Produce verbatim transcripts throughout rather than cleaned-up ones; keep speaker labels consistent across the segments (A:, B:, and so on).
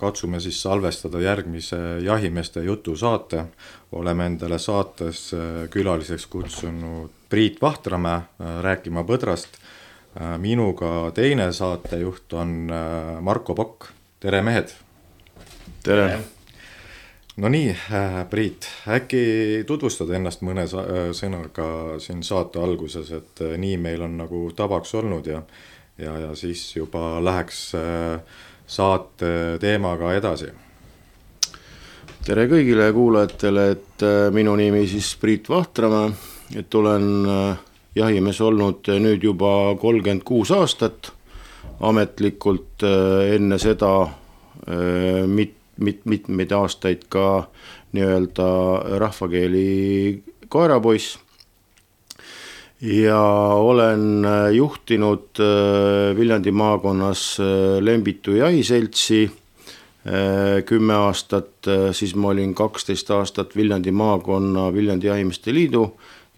A: katsume siis salvestada järgmise jahimeeste jutu saate. Oleme endale saates külaliseks kutsunud Priit Vahtramäe rääkima põdrast. Minuga teine saatejuht on Marko Pokk. Tere mehed!
B: Tere!
A: No nii, Priit, äkki tutvustad ennast mõne sõnaga siin saate alguses, et nii meil on nagu tavaks olnud ja, ja, ja siis juba läheks saate teemaga edasi.
B: Tere kõigile kuulajatele, et minu nimi siis Priit Vahtramäe, et olen jahimees olnud nüüd juba kolmkümmend kuus aastat, ametlikult enne seda mit, mit, mitmeid aastaid ka nii-öelda rahvakeeli koerapoiss ja olen juhtinud Viljandi maakonnas Lembitu jahiseltsi kümme aastat, siis ma olin kaksteist aastat Viljandi maakonna Viljandi jahimeeste liidu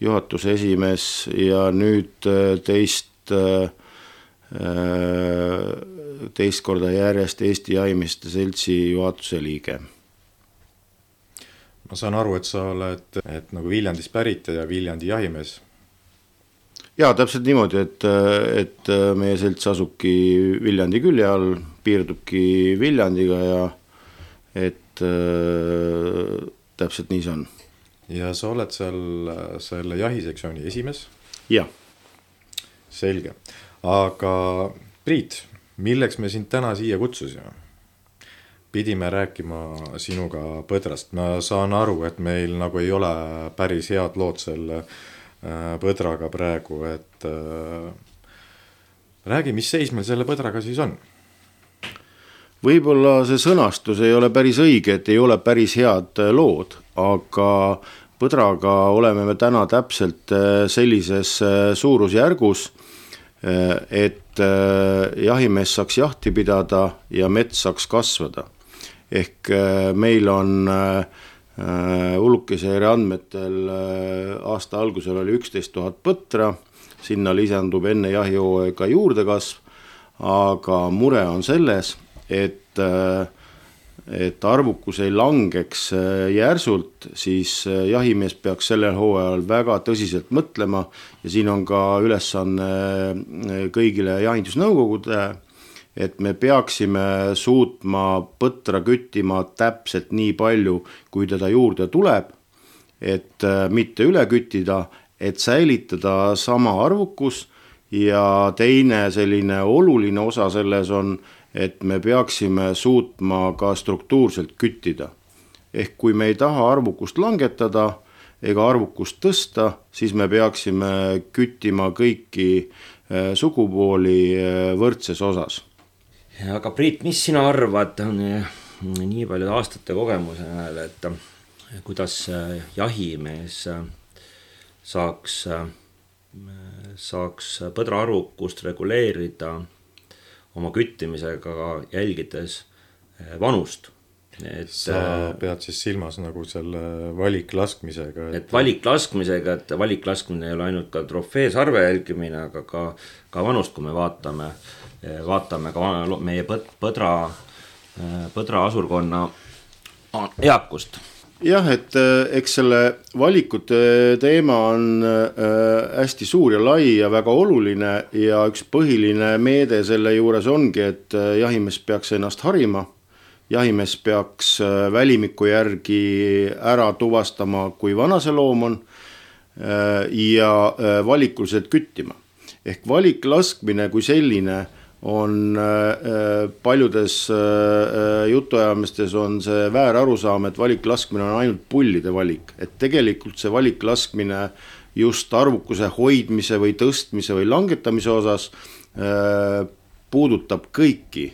B: juhatuse esimees ja nüüd teist teist korda järjest Eesti jahimeeste seltsi juhatuse liige.
A: Ma saan aru, et sa oled et nagu Viljandis pärit ja Viljandi jahimees.
B: Jaa, täpselt niimoodi, et, et meie selts asubki Viljandi külje all, piirdubki Viljandiga ja et äh, täpselt nii see on.
A: Ja sa oled seal selle jahisektsiooni esimees?
B: Jah.
A: Selge. Aga Priit, milleks me sind täna siia kutsusime? Pidime rääkima sinuga põdrast. Ma saan aru, et meil nagu ei ole päris head lood selle põdraga praegu, et äh, räägi, mis seis meil selle põdraga siis on?
B: Võib-olla see sõnastus ei ole päris õige, et ei ole päris head lood, aga põdraga oleme me täna täpselt sellises suurusjärgus, et jahimees saaks jahti pidada ja mets saaks kasvada. Ehk meil on Ullukiseire andmetel aasta algusel oli üksteist tuhat põtra, sinna lisandub enne jahihooaega juurdekasv, aga mure on selles, et, et arvukus ei langeks järsult, siis jahimees peaks sellel hooajal väga tõsiselt mõtlema ja siin on ka ülesanne kõigile jahindusnõukogude, et me peaksime suutma põtra küttima täpselt nii palju, kui teda juurde tuleb, et mitte üle küttida, et säilitada sama arvukus ja teine selline oluline osa selles on, et me peaksime suutma ka struktuurselt küttida. Ehk kui me ei taha arvukust langetada ega arvukust tõsta, siis me peaksime küttima kõiki sugupooli võrdses osas.
C: Aga Priit, mis sina arvad nii palju aastate kogemuse näel, et kuidas jahimees saaks, saaks põdra arvukust reguleerida oma küttimisega jälgides vanust? Et,
A: sa pead siis silmas nagu selle valiklaskmisega.
C: Et, et valiklaskmisega, et valiklaskmine ei ole ainult ka trofeesarve jälgimine, aga ka, ka vanust, kui me vaatame, vaatame ka meie põdra, põdra asurkonna eakust.
B: Jah, et eks selle valikute teema on hästi suur ja lai ja väga oluline ja üks põhiline meede selle juures ongi, et jahimees peaks ennast harima. Jahimees peaks välimiku järgi ära tuvastama, kui vana see loom on ja valikuliselt küttima. Ehk valiklaskmine kui selline on paljudes jutuajamistes on see väär arusaam, et valiklaskmine on ainult pullide valik. Et tegelikult see valiklaskmine just arvukuse hoidmise või tõstmise või langetamise osas puudutab kõiki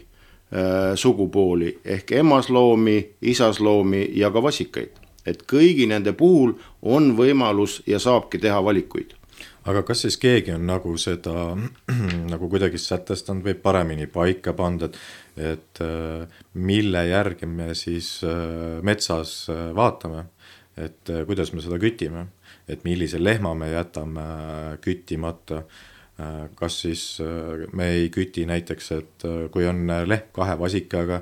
B: sugupooli ehk emasloomi, isasloomi ja ka vasikaid. Et kõigi nende puhul on võimalus ja saabki teha valikuid.
A: Aga kas siis keegi on nagu seda nagu kuidagi sätestanud või paremini paika pandud, et mille järgi me siis metsas vaatame, et kuidas me seda kütime, et millise lehma me jätame küttimata, kas siis me ei küti näiteks, et kui on lehm kahe vasikaga,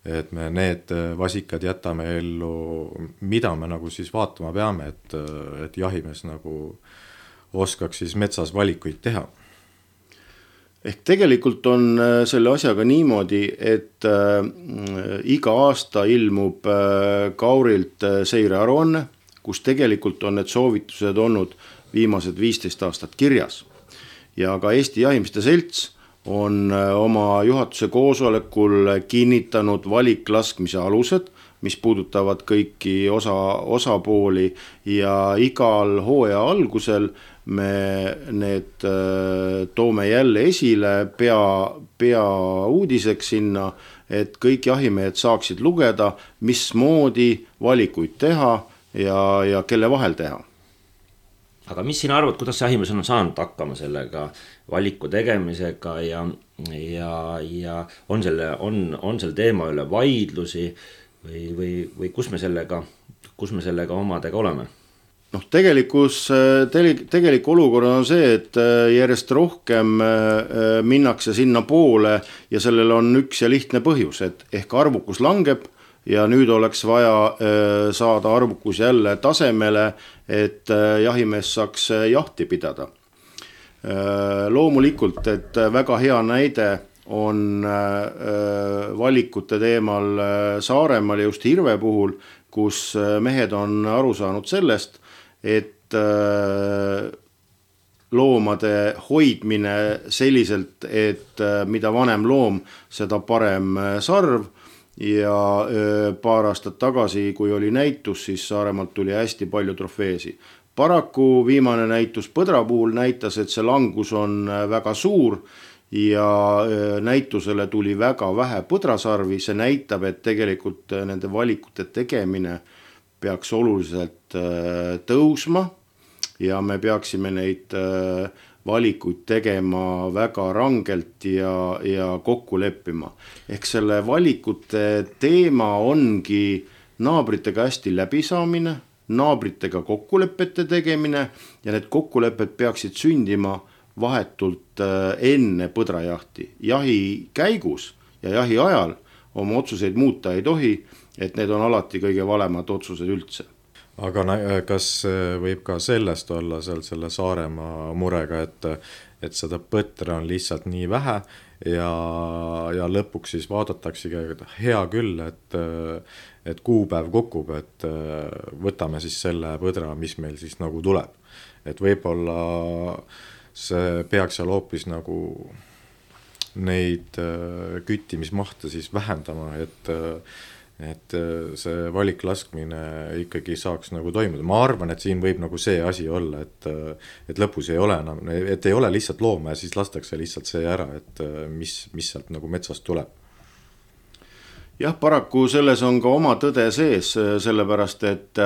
A: et me need vasikad jätame ellu, mida me nagu siis vaatama peame, et, et jahimees nagu oskaks siis metsas valikuid teha.
B: Ehk tegelikult on selle asjaga niimoodi, et äh, iga aasta ilmub äh, Kaurilt seirearuanne, kus tegelikult on need soovitused olnud viimased viisteist aastat kirjas. Ja ka Eesti Jahimeeste Selts on äh, oma juhatuse koosolekul kinnitanud valiklaskmise alused, mis puudutavad kõiki osa, osapooli ja igal hooaja algusel me need äh, toome jälle esile pea, pea uudiseks sinna, et kõik jahimehed saaksid lugeda, mismoodi valikuid teha ja, ja kelle vahel teha.
C: Aga mis sina arvad, kuidas jahimees on saanud hakkama sellega valiku tegemisega ja, ja, ja on, selle, on, on selle teema üle vaidlusi või, või, või kus me sellega, kus me sellega omadega oleme?
B: Noh, tegelikus, tegelik olukord on see, et järjest rohkem minnakse sinna poole ja sellel on üks ja lihtne põhjus, et ehk arvukus langeb ja nüüd oleks vaja saada arvukus jälle tasemele, et jahimees saaks jahti pidada. Loomulikult, et väga hea näide on valikute teemal Saaremaal just Hirve puhul, kus mehed on aru saanud sellest, et loomade hoidmine selliselt, et mida vanem loom, seda parem sarv ja paar aastat tagasi, kui oli näitus, siis Saaremaalt tuli hästi palju trofeesi. Paraku viimane näitus põdra puhul näitas, et see langus on väga suur ja näitusele tuli väga vähe põdrasarvi, see näitab, et tegelikult nende valikute tegemine peaks oluliselt tõusma ja me peaksime neid valikuid tegema väga rangelt ja, ja kokku leppima. Ehk selle valikute teema ongi naabritega hästi läbisaamine, naabritega kokkulepete tegemine ja need kokkulepped peaksid sündima vahetult enne põdrajahti. Jahi käigus ja jahi ajal oma otsuseid muuta ei tohi, et need on alati kõige valemad otsused üldse.
A: Aga kas võib ka sellest olla seal selle Saaremaa murega, et, et seda põtra on lihtsalt nii vähe ja, ja lõpuks siis vaadataksegi hea küll, et, et kuupäev kukub, et võtame siis selle põdra, mis meil siis nagu tuleb. Et võib-olla see peaks seal hoopis nagu neid küttimismahte siis vähendama, et et see valiklaskmine ikkagi saaks nagu toimuda. Ma arvan, et siin võib nagu see asi olla, et, et lõpus ei ole enam, et ei ole lihtsalt looma ja siis lastakse lihtsalt see ära, et mis, mis sealt nagu metsast tuleb.
B: Jah, paraku selles on ka oma tõde sees, sellepärast, et,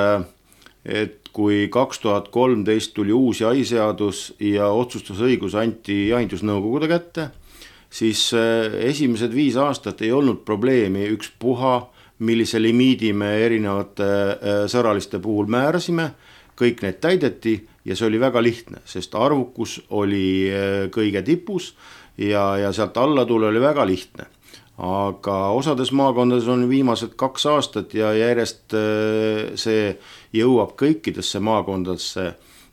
B: et kui kaks tuhat kolmteist tuli uus jahiseadus ja otsustusõigus anti jahindusnõukogude kätte, siis esimesed viis aastat ei olnud probleemi üks puha, millise limiidi me erinevate sõraliste puhul määrasime, kõik need täideti ja see oli väga lihtne, sest arvukus oli kõige tipus ja, ja sealt alla tule oli väga lihtne. Aga osades maakondades on viimased kaks aastat ja järjest see jõuab kõikidesse maakondadesse,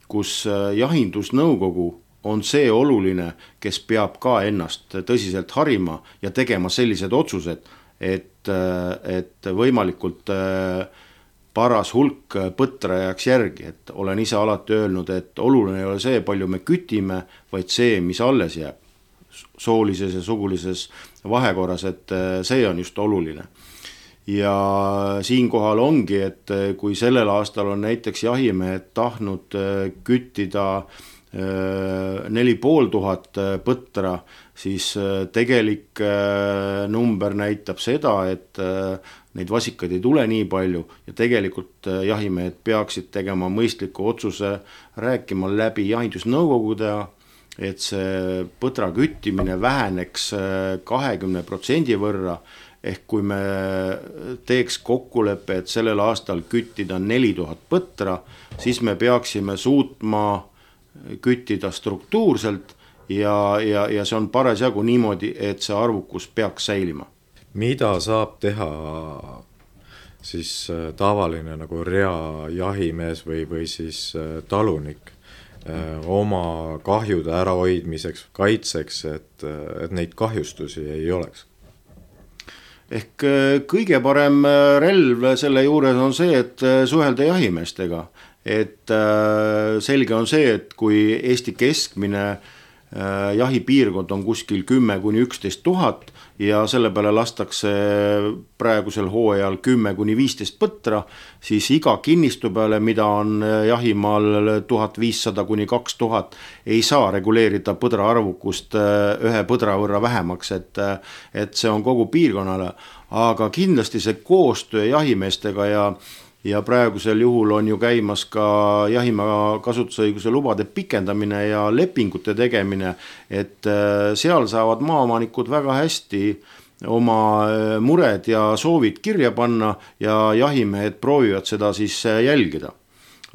B: kus jahindusnõukogu on see oluline, kes peab ka ennast tõsiselt harima ja tegema sellised otsused, et, et võimalikult paras hulk põtra jääks järgi, et olen ise alati öelnud, et oluline ei ole see, palju me kütime, vaid see, mis alles jääb soolises ja sugulises vahekorras, et see on just oluline. Ja siinkohal ongi, et kui sellel aastal on näiteks jahimehed tahtnud küttida neli pool tuhat põtra, siis tegelik number näitab seda, et neid vasikaid ei tule nii palju ja tegelikult jahimehed peaksid tegema mõistliku otsuse, rääkima läbi jahindusnõukogude, et see põtra küttimine väheneks kahekümne protsendi võrra, ehk kui me teeks kokkuleppe, et sellel aastal küttida neli tuhat põtra, siis me peaksime suutma küttida struktuurselt ja, ja, ja see on parasjagu niimoodi, et see arvukus peaks säilima.
A: mida saab teha siis tavaline nagu rea jahimees või, või siis talunik oma kahjude ärahoidmiseks, kaitseks, et, et neid kahjustusi ei oleks?
B: Ehk kõige parem relv selle juures on see, et suhelda jahimeestega. Et selge on see, et kui Eesti keskmine jahipiirkond on kuskil kümme kuni üksteist tuhat ja selle peale lastakse praegusel hooajal kümme kuni viisteist põtra, siis iga kinnistu peale, mida on jahimaal tuhat viissada kuni kaks tuhat, ei saa reguleerida põdra arvukust ühe põdra võrra vähemaks, et, et see on kogu piirkonnale, aga kindlasti see koostöö jahimeestega ja Ja praegusel juhul on ju käimas ka jahimaa kasutusõiguse lubade pikendamine ja lepingute tegemine, et seal saavad maaomanikud väga hästi oma mured ja soovid kirja panna ja jahimehed proovivad seda siis jälgida.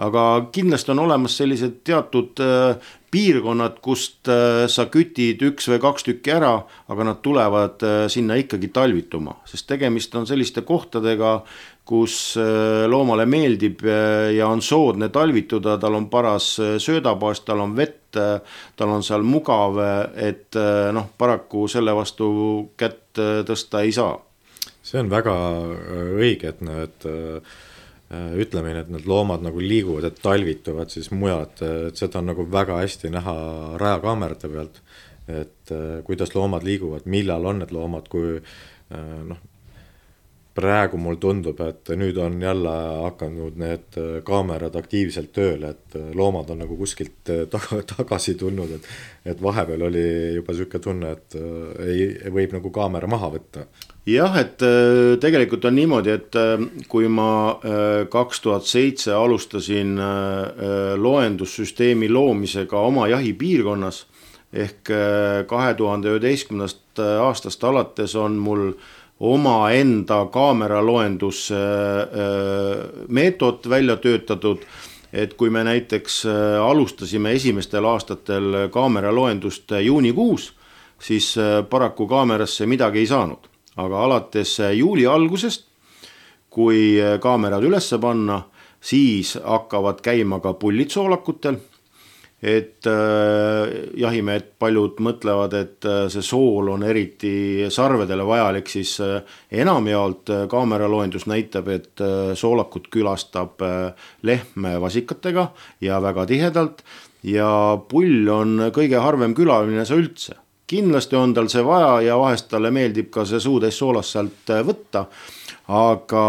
B: Aga kindlasti on olemas sellised teatud piirkonnad, kust sa kütid üks või kaks tükki ära, aga nad tulevad sinna ikkagi talvituma, sest tegemist on selliste kohtadega, kus loomale meeldib ja on soodne talvituda, tal on paras söödabaas, tal on vett, tal on seal mugav, et noh, paraku selle vastu kätt tõsta ei saa.
A: See on väga õige, et need ütlemine, et need loomad nagu liiguvad, et talvituvad siis mujal, et seda on nagu väga hästi näha rajakaamerate pealt, et kuidas loomad liiguvad, millal on need loomad, kui noh, praegu mul tundub, et nüüd on jälle hakanud need kaamerad aktiivselt tööle, et loomad on nagu kuskilt taga, tagasi tulnud, et, et vahepeal oli juba selline tunne, et ei, võib nagu kaamera maha võtta.
B: Jah, et tegelikult on niimoodi, et kui ma kaks tuhat seitse alustasin loendussüsteemi loomisega oma jahipiirkonnas, ehk kahe tuhande üheteistkümnendast aastast alates on mul oma enda kaameraloendus meetod välja töötatud, et kui me näiteks alustasime esimestel aastatel kaameraloendust juunikuus, siis paraku kaamerasse midagi ei saanud. Aga alates juuli algusest, kui kaamerad ülesse panna, siis hakkavad käima ka pullid soolakutel, et jahimehed paljud mõtlevad, et see sool on eriti sarvedele vajalik, siis enamjaolt kaameraloendus näitab, et soolakut külastab lehm vasikatega ja väga tihedalt ja pull on kõige harvem külaline see üldse. Kindlasti on tal see vaja ja vahest talle meeldib ka see suutäis soolast sealt võtta, aga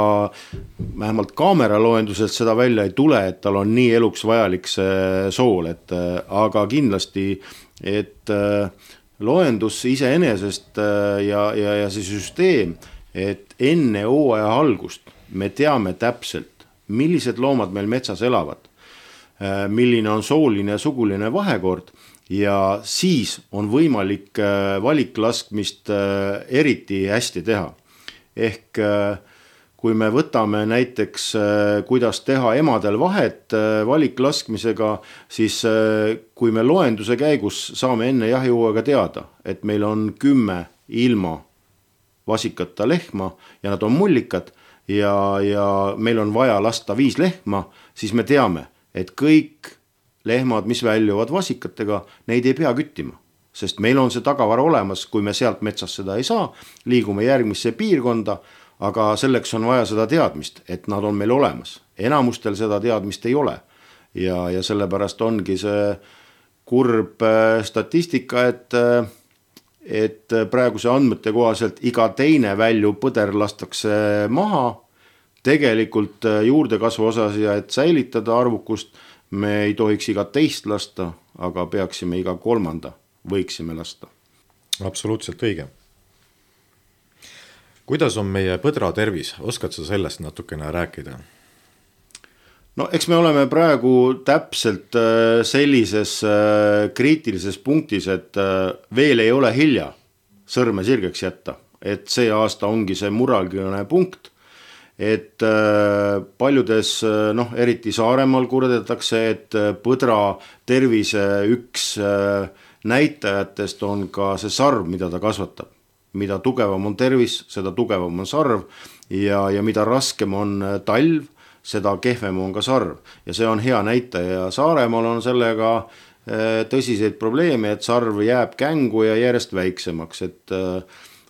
B: vähemalt kaameraloenduselt seda välja ei tule, et tal on nii eluks vajalik see sool, et aga kindlasti, et loendus iseenesest ja, ja, ja see süsteem, et enne hooaja algust me teame täpselt, millised loomad meil metsas elavad, milline on sooline ja suguline vahekord ja siis on võimalik valiklaskmist eriti hästi teha. Ehk kui me võtame näiteks, kuidas teha emadel vahet valiklaskmisega, siis kui me loenduse käigus saame enne jahihooaega teada, et meil on kümme ilma vasikata lehma ja nad on mullikad ja, ja meil on vaja lasta viis lehma, siis me teame, et kõik lehmad, mis väljuvad vasikatega, neid ei pea küttima. Sest meil on see tagavara olemas, kui me sealt metsas seda ei saa, liigume järgmisse piirkonda, aga selleks on vaja seda teadmist, et nad on meil olemas. Enamustel seda teadmist ei ole ja, ja sellepärast ongi see kurb statistika, et, et praeguse andmete kohaselt iga teine välju põder lastakse maha, tegelikult juurdekasvu osas ja et säilitada arvukust, me ei tohiks iga teist lasta, aga peaksime iga kolmanda võiksime lasta.
A: Absoluutselt õige. Kuidas on meie põdra tervis? Oskad sa sellest natukene rääkida?
B: No eks me oleme praegu täpselt sellises kriitilises punktis, et veel ei ole hilja sõrme sirgeks jätta. Et see aasta ongi see muralgiline punkt, et paljudes, noh, eriti Saaremaal kurdetakse, et põdra tervise üks näitajatest on ka see sarv, mida ta kasvatab. mida tugevam on tervis, seda tugevam on sarv ja, ja mida raskem on talv, seda kehvem on ka sarv. Ja see on hea näitaja ja Saaremaal on sellega tõsiseid probleeme, et sarv jääb kängu ja järjest väiksemaks, et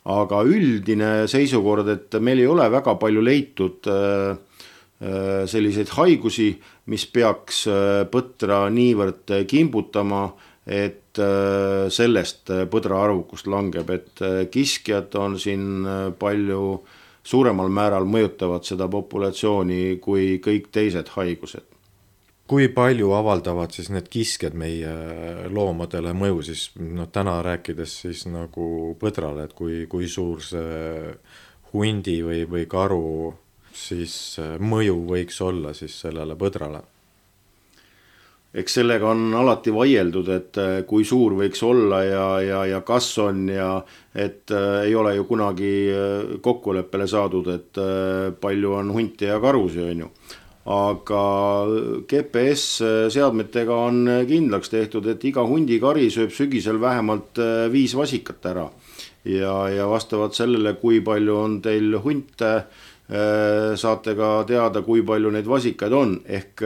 B: aga üldine seisukord, et meil ei ole väga palju leitud selliseid haigusi, mis peaks põtra niivõrd kimbutama, et sellest põdra arvukust langeb, et kiskjad on siin palju suuremal määral mõjutavad seda populatsiooni kui kõik teised haigused.
A: Kui palju avaldavad siis need kiskjad meie loomadele mõju siis, no täna rääkides siis nagu põdrale, et kui, kui suur see hundi või, või karu siis mõju võiks olla siis sellele põdrale?
B: Eks sellega on alati vaieldud, et kui suur võiks olla ja, ja, ja kas on ja et ei ole ju kunagi kokkuleppele saadud, et palju on hunti ja karusi, on ju. Aga G P S seadmetega on kindlaks tehtud, et iga hundikari sööb sügisel vähemalt viis vasikat ära. Ja, ja vastavalt sellele, kui palju on teil hunte, saate ka teada, kui palju neid vasikaid on. Ehk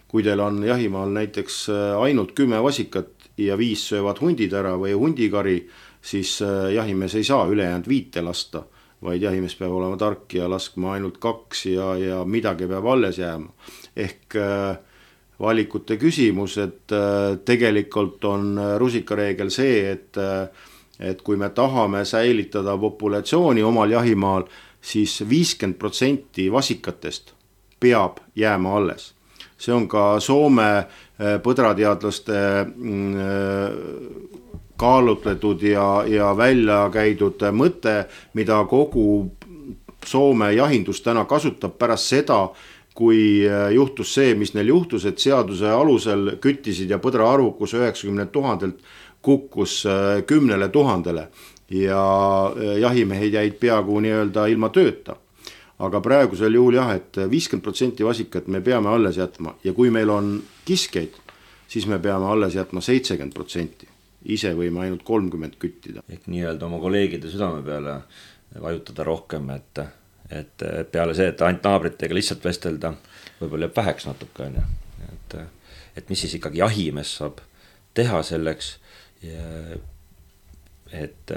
B: kui teil on jahimaal näiteks ainult kümme vasikat ja viis söövad hundid ära või hundikari, siis jahimees ei saa ülejäänud viite lasta, vaid jahimees peab olema tark ja laskma ainult kaks ja, ja midagi peab alles jääma. Ehk valikute küsimus, et tegelikult on rusikareegel see, et, et kui me tahame säilitada populatsiooni omal jahimaal, siis viiskümmend protsenti vasikatest peab jääma alles. See on ka Soome põdrateadlaste kaalutletud ja, ja välja käidud mõte, mida kogu Soome jahindus täna kasutab pärast seda, kui juhtus see, mis neil juhtus, et seaduse alusel küttisid ja põdra arvukus üheksakümmend tuhandelt kukkus kümnele tuhandele ja jahimehed jäid peaaegu nii-öelda ilma tööta. Aga praegusel juhul jah, et viiskümmend protsenti vasikat me peame alles jätma ja kui meil on kiskeid, siis me peame alles jätma seitsekümmend protsenti. Ise võime ainult kolmkümmend küttida.
C: Ehk nii-öelda oma kolleegide südame peale vajutada rohkem, et, et peale see, et ainult naabritega lihtsalt vestelda, võib-olla jääb väheks natuke. Et, et mis siis ikkagi jahimees saab teha selleks, et,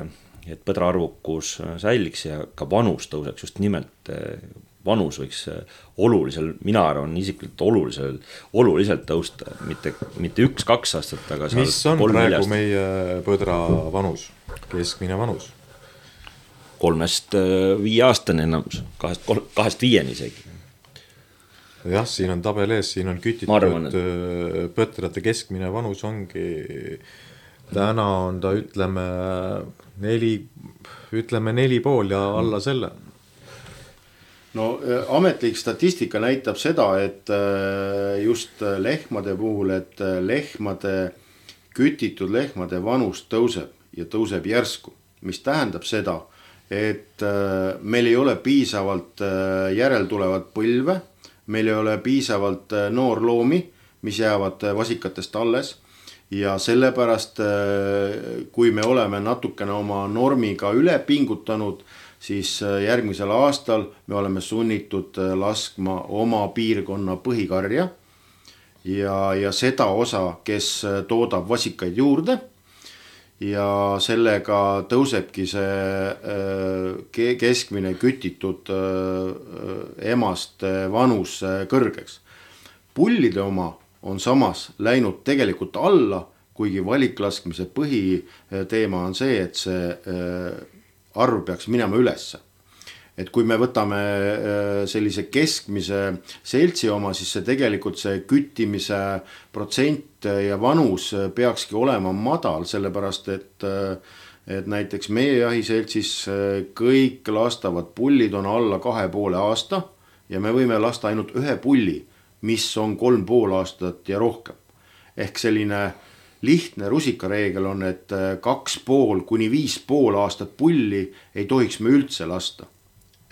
C: et põdra arvukus säiliks ja ka vanus tõuseks, just nimelt vanus võiks olulisel, mina arvan isiklikult olulisel, oluliselt tõusta, mitte, mitte üks, kaks aastat, aga
A: mis on praegu neljast. Meie põdra vanus, keskmine vanus?
C: Kolmest viie aastane enamus, kahest, kahest viieni isegi.
A: Jah, siin on tabel ees, siin on kütitud arvan, et... põtrate keskmine vanus ongi, täna on ta ütleme neli, ütleme neli pool ja alla selle.
B: No ametlik statistika näitab seda, et just lehmade puhul, et lehmade, kütitud lehmade vanus tõuseb ja tõuseb järsku, mis tähendab seda, et meil ei ole piisavalt järeltulevat põlve, meil ei ole piisavalt noorloomi, mis jäävad vasikatest alles ja sellepärast, kui me oleme natukene oma normiga üle pingutanud, siis järgmisel aastal me oleme sunnitud laskma oma piirkonna põhikarja ja, ja seda osa, kes toodab vasikaid juurde ja sellega tõusebki see keskmine kütitud emast vanus kõrgeks. Pullide oma on samas läinud tegelikult alla, kuigi valiklaskmise põhiteema on see, et see arv peaks minema ülesse. Et kui me võtame sellise keskmise seltsi oma, siis see tegelikult see küttimise protsent ja vanus peakski olema madal, sellepärast et, et näiteks meie jahiseltsis kõik lastavad pullid on alla kahe poole aasta ja me võime lasta ainult ühe pulli, mis on kolm pool aastat ja rohkem. Ehk selline lihtne rusikareegel on, et kaks pool kuni viis pool aastat pulli ei tohiks me üldse lasta.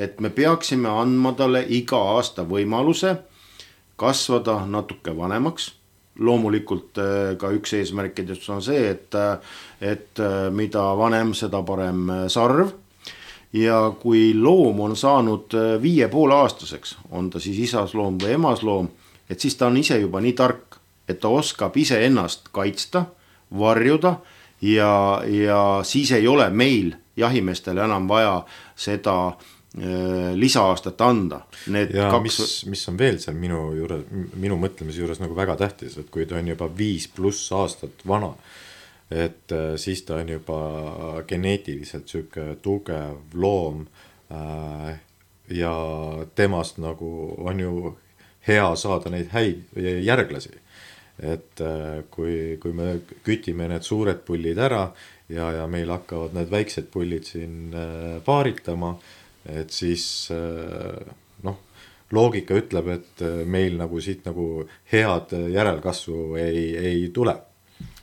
B: Et me peaksime andma talle iga aasta võimaluse kasvada natuke vanemaks. Loomulikult ka üks eesmärkidest on see, et, et mida vanem, seda parem sarv. ja kui loom on saanud viie poole aastaseks, on ta siis isasloom või emasloom, et siis ta on ise juba nii tark, et ta oskab ise ennast kaitsta, varjuda ja, ja siis ei ole meil jahimeestele enam vaja seda äh, lisa-aastat anda. Need
A: ja
B: kaks...
A: mis, mis on veel seal minu, juures, minu mõtlemise juures nagu väga tähtis, et kui ta on juba viis pluss aastat vana, et äh, siis ta on juba geneetiliselt süke tugev loom äh, ja temast nagu on ju hea saada neid häid järglasi. Et äh, kui, kui me kütime need suured pullid ära ja, ja meil hakkavad need väiksed pullid siin äh, paaritama, et siis äh, noh, loogika ütleb, et meil nagu siit nagu head järelkasvu ei, ei tule.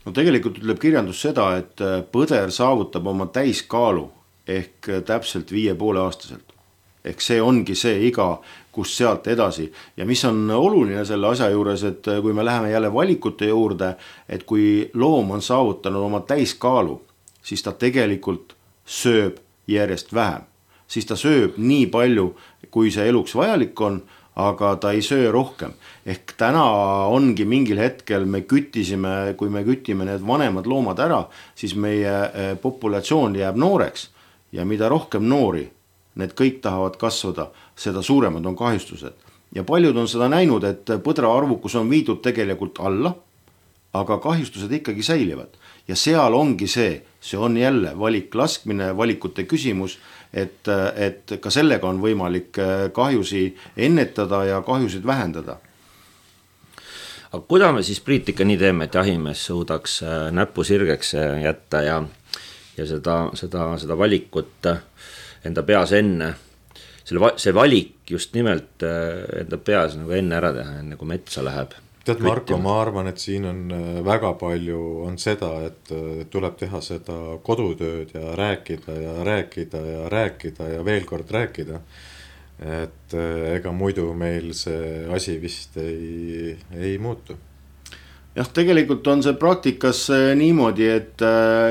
B: No tegelikult ütleb kirjandus seda, et põder saavutab oma täiskaalu ehk täpselt viie poole aastaselt. Ehk see ongi see iga, kus sealt edasi. Ja mis on oluline selle asja juures, et kui me läheme jälle valikute juurde, et kui loom on saavutanud oma täiskaalu, siis ta tegelikult sööb järjest vähem. Siis ta sööb nii palju, kui see eluks vajalik on, aga ta ei söö rohkem. Ehk täna ongi mingil hetkel me küttisime, kui me kütime need vanemad loomad ära, siis meie populatsioon jääb nooreks ja mida rohkem noori, need kõik tahavad kasvada, seda suuremad on kahjustused. Ja paljud on seda näinud, et põdra arvukus on viidud tegelikult alla, aga kahjustused ikkagi säilivad. Ja seal ongi see, see on jälle valik laskmine, valikute küsimus, et, et ka sellega on võimalik kahjusi ennetada ja kahjusid vähendada.
C: Aga kuidas me siis, Priit, ikka nii teeme, et jahimees suudaks näppu sirgeks jätta ja, ja seda, seda, seda valikut enda peas enne, selle, see valik just nimelt enda peas nagu enne ära teha, enne kui metsa läheb.
A: Tead, Marko, ma arvan, et siin on väga palju on seda, et tuleb teha seda kodutööd ja rääkida ja rääkida ja rääkida ja veel kord rääkida. Et ega muidu meil see asi vist ei, ei muutu.
B: Jah, tegelikult on see praktikas niimoodi, et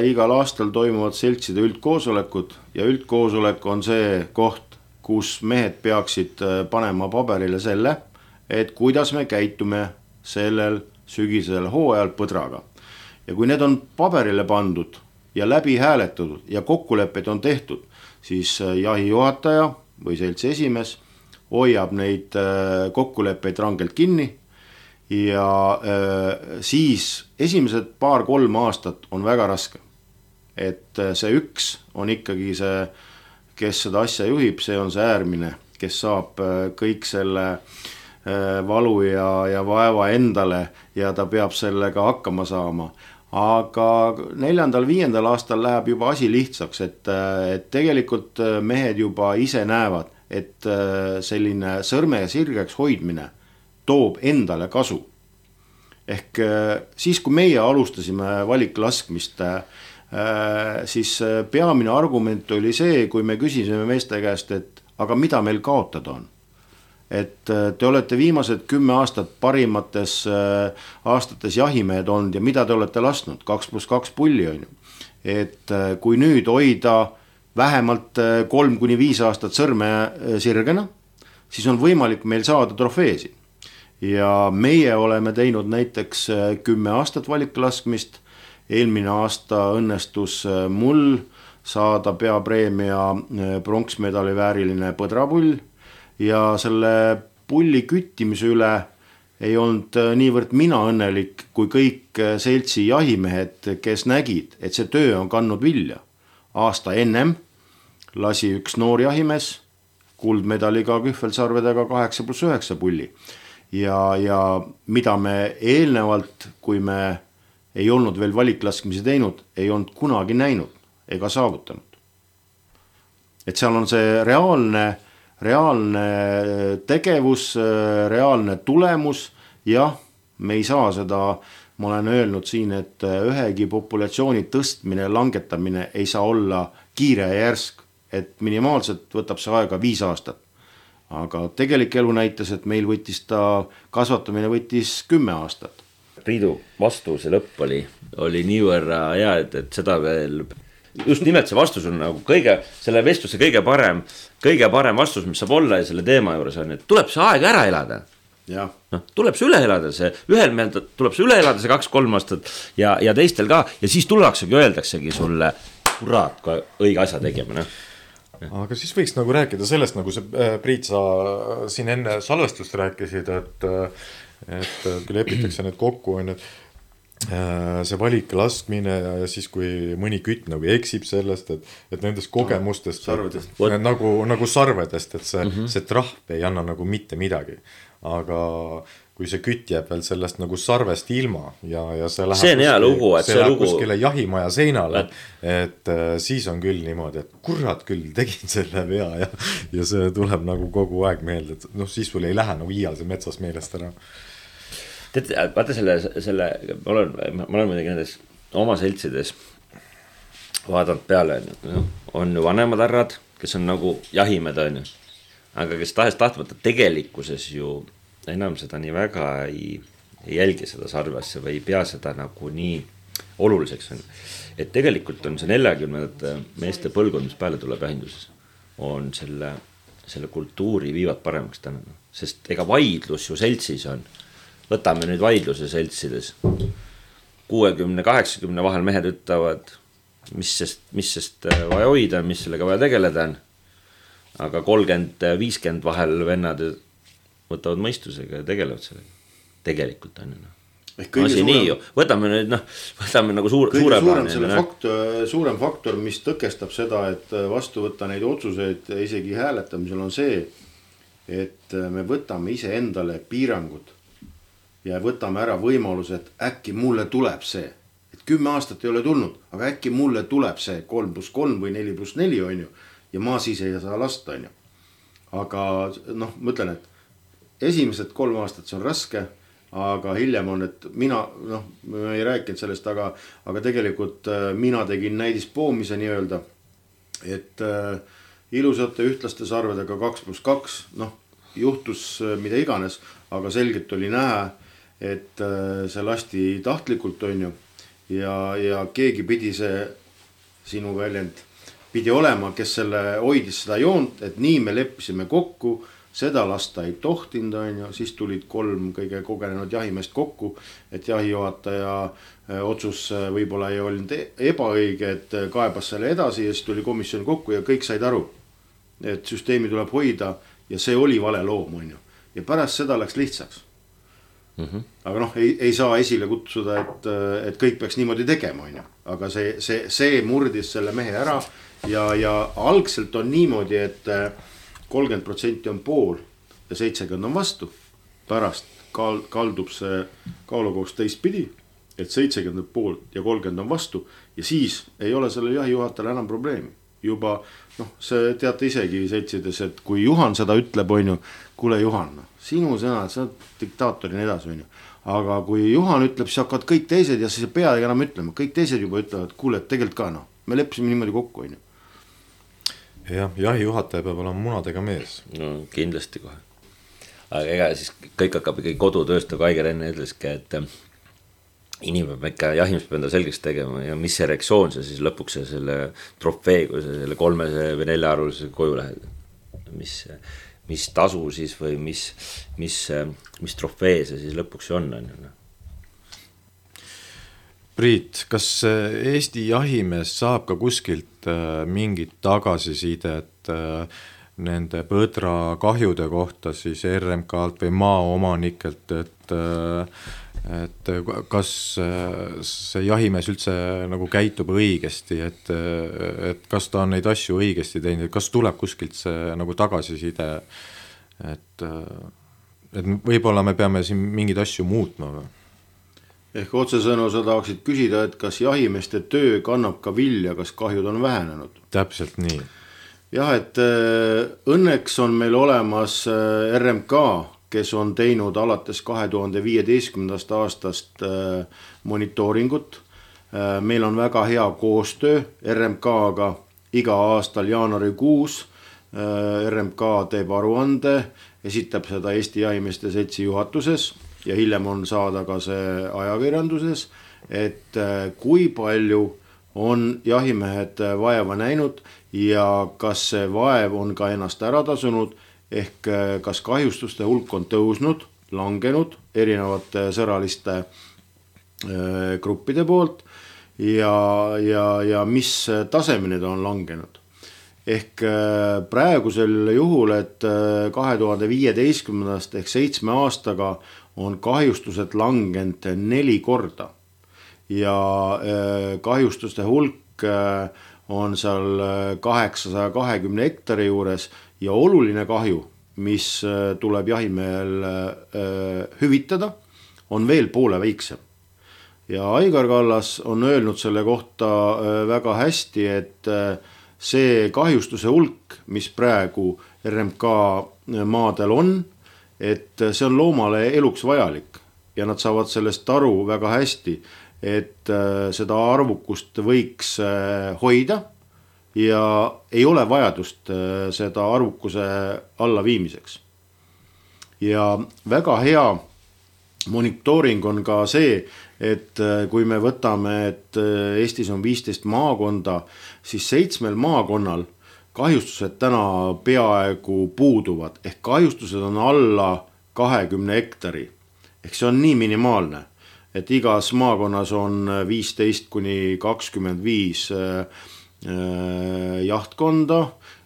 B: igal aastal toimuvad seltside üldkoosolekud ja üldkoosolek on see koht, kus mehed peaksid panema paberile selle, et kuidas me käitume sellel sügisel hooajal põdraga. Ja kui need on paberile pandud ja läbi hääletatud ja kokkulepped on tehtud, siis jahijuhataja või seltsi esimees hoiab neid kokkuleppeid rangelt kinni. Ja äh, siis esimesed paar-kolm aastat on väga raske. Et see üks on ikkagi see, kes seda asja juhib, see on see äärmine, kes saab kõik selle äh, valu ja, ja vaeva endale ja ta peab sellega hakkama saama. Aga neljandal, viiendal aastal läheb juba asi lihtsaks, et, et tegelikult mehed juba ise näevad, et selline sõrme sirgeks hoidmine toob endale kasu. Ehk siis, kui meie alustasime valiklaskmist, siis peamine argument oli see, kui me küsisime meeste käest, et aga mida meil kaotada on. Et te olete viimased kümme aastat parimates aastates jahimehed olnud ja mida te olete lasknud, kaks pluss kaks pulli on ju. Et kui nüüd hoida vähemalt kolm kuni viis aastat sõrme sirgena, siis on võimalik meil saada trofeesi. Ja meie oleme teinud näiteks kümme aastat valiklaskmist, eelmine aasta õnnestus mul saada peapreemia pronksmedali vääriline põdrapull ja selle pulli küttimise üle ei olnud niivõrd mina õnnelik kui kõik seltsi jahimehed, kes nägid, et see töö on kandnud vilja. Aasta ennem lasi üks noor jahimees kuldmedaliga kühvelsarvedega kaheksa pluss üheksa pulli. Ja, ja mida me eelnevalt, kui me ei olnud veel valiklaskmisi teinud, ei olnud kunagi näinud ega saavutanud. Et seal on see reaalne, reaalne tegevus, reaalne tulemus. Jah, me ei saa seda, ma olen öelnud siin, et ühegi populatsiooni tõstmine, langetamine ei saa olla kiire ja järsk, et minimaalselt võtab see aega viis aastat. Aga tegelik elu näitas, et meil võttis ta, kasvatamine võttis kümme aastat.
C: Priidu vastuse lõpp oli, oli niivõrra hea, et, et seda veel just nimelt see vastus on nagu kõige, selle vestluse kõige parem, kõige parem vastus, mis saab olla ja selle teema juures on, et tuleb see aeg ära elada.
B: Ja.
C: No, tuleb see üle elada, see ühel meelt tuleb see üle elada, see kaks-kolm aastat ja, ja teistel ka ja siis tullaksegi, öeldaksegi sulle kurat, kui õige asja tegema. No.
A: Aga siis võiks nagu rääkida sellest, nagu see Priit, sa siin enne salvestust rääkisid, et, et kui lepitakse need kokku, on, et see valik laskmine ja siis kui mõni kütt nagu eksib sellest, et, et nendest kogemustest
B: sarvedest.
A: Et, nagu, nagu sarvedest, et see, mm -hmm. see trahv ei anna nagu mitte midagi, aga kui see kütt jääb veel sellest nagu sarvest ilma ja, ja see läheb
C: see on hea lugu, et
A: see,
C: see
A: läheb
C: lugu
A: kuskile jahimaja seinale, et siis on küll niimoodi, et kurat küll tegin selle vea ja, ja see tuleb nagu kogu aeg meelde, et noh, siis sul ei lähe nagu iial see metsas meelest ära.
C: Tead, vaata selle, selle ma olen, ma olen muidugi nendes oma seltsides vaadanud peale, on ju vanemad härrad, kes on nagu jahimed, on ju, aga kes tahes tahtmata tegelikkuses ju enam seda nii väga ei, ei jälgi seda sarvesse või ei pea seda nagu nii oluliseks. On. Et tegelikult on see neljakümnendate meeste põlgkond, mis peale tuleb jahinduses, on selle, selle kultuuri viivad paremaks täna, sest ega vaidlus ju seltsis on. Võtame nüüd vaidluse seltsides. kuuekümne kaheksakümne vahel mehed ütlevad, mis sest, mis sest vaja hoida, mis sellega vaja tegeleda on. Aga kolmkümmend viiskümmend vahel vennad võtavad mõistusega ja tegelevad sellega. Tegelikult on ju. Asi nii ju. Võtame nüüd, noh, võtame nagu suur,
B: kõige
C: suure
B: suurem, selle faktor, suurem faktor, mis tõkestab seda, et vastu võtta neid otsuseid isegi hääletamisel on see, et me võtame ise endale piirangud ja võtame ära võimaluse, et äkki mulle tuleb see, et kümme aastat ei ole tulnud, aga äkki mulle tuleb see kolm pluss kolm või neli pluss neli on ju, ja ma siis ei saa lasta on ju. Aga noh, mõtlen, et esimesed kolm aastat see on raske, aga hiljem on, et mina, noh, ma ei rääkinud sellest, aga, aga tegelikult mina tegin näidispoomise nii öelda, et äh, ilusate ühtlaste sarvedega kaks pluss kaks, noh, juhtus mida iganes, aga selgelt oli näha, et see lasti tahtlikult on ju ja, ja keegi pidi see sinu väljend pidi olema, kes selle hoidis seda joont, et nii me leppisime kokku, seda lasta ei tohtinud on ju, siis tulid kolm kõige kogenenud jahimeest kokku, et jahijuhataja otsus võib-olla ei olnud ebaõige, et kaebas selle edasi ja siis tuli komisjon kokku ja kõik said aru, et süsteemi tuleb hoida ja see oli vale loom on ju ja pärast seda läks lihtsaks. Mm-hmm. Aga noh, ei, ei saa esile kutsuda, et, et kõik peaks niimoodi tegema, on ju. Aga see, see, see murdis selle mehe ära ja, ja algselt on niimoodi, et kolmkümmend protsenti on pool ja seitsekümmend on vastu. Pärast kaldub see kaalukohus teistpidi, et seitsekümmend pool ja kolmkümmend on vastu ja siis ei ole selle jahijuhatajal enam probleemi. Juba, noh, see teate isegi seltsides, et kui Juhan seda ütleb, on ju, kuule Juhan, sinu sõnad, sa oled diktaatori edasi, on ju. Aga kui Juhan ütleb, siis hakkavad kõik teised ja siis ei pea enam ütlema. Kõik teised juba ütlevad, kuule, et tegelikult ka, noh, me leppisime niimoodi kokku, on ju.
A: Jah, jahijuhataja peab olema munadega mees.
C: No kindlasti kohe. Aga ega siis kõik hakkab ikkagi kodutööst, nagu Aigar enne ütleski, et inimene peab ikka jahimis peab enda selgeks tegema ja mis erektsioon see siis lõpuks selle trofee, kui see selle kolmese või nelja arvulise koju lähed. Mis, mis tasu siis või mis, mis, mis trofee see siis lõpuks on. on.
A: Priit, kas Eesti jahimees saab ka kuskilt mingit tagasisidet nende põdra kahjude kohta siis R M K-lt või maaomanikelt, et et kas see jahimees üldse nagu käitub õigesti, et, et kas ta on neid asju õigesti teinud, kas tuleb kuskilt see nagu tagasiside, et, et võib-olla me peame siin mingeid asju muutma või?
B: Ehk otsesõnu sa tahaksid küsida, et kas jahimeeste töö kannab ka vilja, kas kahjud on vähenenud?
A: Täpselt nii.
B: Jah, et õnneks on meil olemas R M K, kes on teinud alates kahe tuhande viieteistkümnendast aastast monitooringut. Meil on väga hea koostöö R M K-ga iga aastal jaanuarikuus. R M K teeb aruande, esitab seda Eesti Jahimeeste Seltsi juhatuses ja hiljem on saada ka see ajakirjanduses, et kui palju on jahimehed vaeva näinud ja kas see vaev on ka ennast ära tasunud, ehk kas kahjustuste hulk on tõusnud, langenud erinevate sõraliste gruppide poolt ja, ja, ja mis tasemeni ta on langenud. Ehk praegusel juhul, et kahe tuhande viieteistkümnendast ehk seitsme aastaga on kahjustused langenud neli korda ja kahjustuste hulk on seal kaheksasaja kahekümne hektari juures ja oluline kahju, mis tuleb jahimehel hüvitada, on veel poole väiksem. Ja Aigar Kallas on öelnud selle kohta väga hästi, et see kahjustuse hulk, mis praegu R M K maadel on, et see on loomale eluks vajalik ja nad saavad sellest aru väga hästi, et seda arvukust võiks hoida ja ei ole vajadust seda arvukuse alla viimiseks. Ja väga hea monitooring on ka see, et kui me võtame, et Eestis on viisteist maakonda, siis seitsmel maakonnal kahjustused täna peaaegu puuduvad, ehk kahjustused on alla kahekümne hektari. Ehk see on nii minimaalne, et igas maakonnas on viisteist kuni kakskümmend viis jahtkonda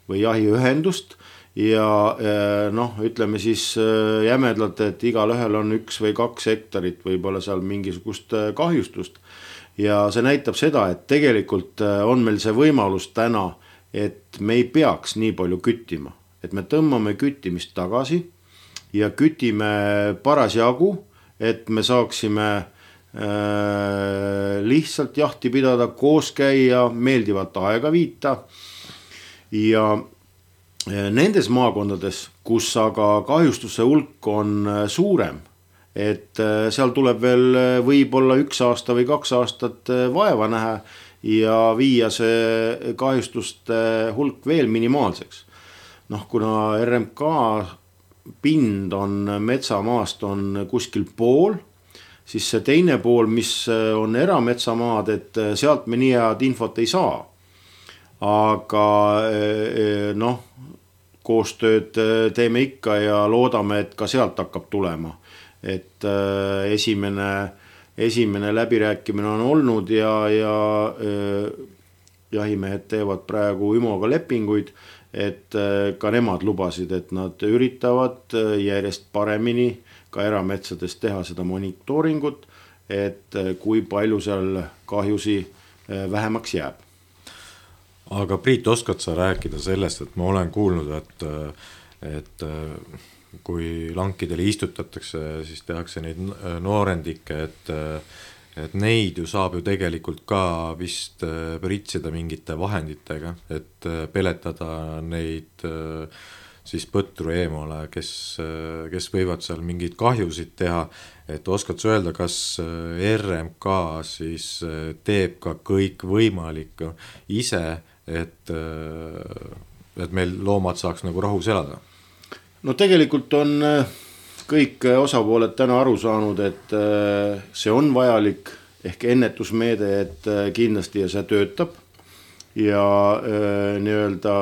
B: või jahiühendust ja noh, ütleme siis jämedalt, et igal ühel on üks või kaks hektarit, võib-olla seal mingisugust kahjustust. Ja see näitab seda, et tegelikult on meil see võimalus täna, et me ei peaks nii palju küttima, et me tõmbame küttimist tagasi ja kütime parasjagu, et me saaksime äh, lihtsalt jahti pidada, koos käia, meeldivat aega viita ja nendes maakondades, kus aga kahjustuse hulk on suurem, et seal tuleb veel võib-olla üks aasta või kaks aastat vaeva näha ja viia see kahjustuste hulk veel minimaalseks. Noh, kuna R M K pind on metsamaast on kuskil pool, siis see teine pool, mis on erametsamaad, et sealt me nii head infot ei saa. Aga noh, koostööd teeme ikka ja loodame, et ka sealt hakkab tulema. Et esimene, esimene läbirääkimine on olnud ja, ja jahimehed teevad praegu Ümoga lepinguid, et ka nemad lubasid, et nad üritavad järjest paremini ka erametsades teha seda monitooringut, et kui palju seal kahjusi vähemaks jääb.
A: Aga Priit, oskad sa rääkida sellest, et ma olen kuulnud, et, et kui lankidele istutatakse, siis tehakse neid noorendikke, et, et neid ju saab ju tegelikult ka vist pritsida mingite vahenditega, et peletada neid siis põtru eemale, kes, kes võivad seal mingeid kahjusid teha, et oskad sa öelda, kas R M K siis teeb ka kõik võimalik ise, et, et meil loomad saaks nagu rahus elada?
B: No tegelikult on kõik osapooled täna aru saanud, et see on vajalik ehk ennetusmeede, et kindlasti ja see töötab ja nii-öelda